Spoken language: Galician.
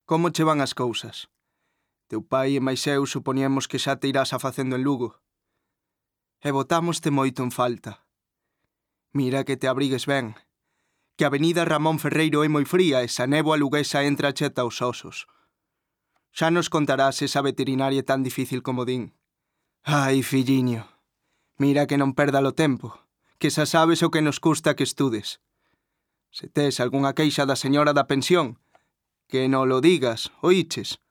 Como che van as cousas? Teu pai e máis eu supoñemos que xa te irás afacendo en Lugo. E botámoste moito en falta. Mira que te abrigues ben, que a avenida Ramón Ferreiro é moi fría e esa néboa luguesa entra cheta aos osos. Xa nos contarás esa veterinaria tan difícil como din. Ai, filliño, mira que non perda o tempo, que xa sabes o que nos custa que estudes. Se tes algunha queixa da señora da pensión, que non lo digas, oíches?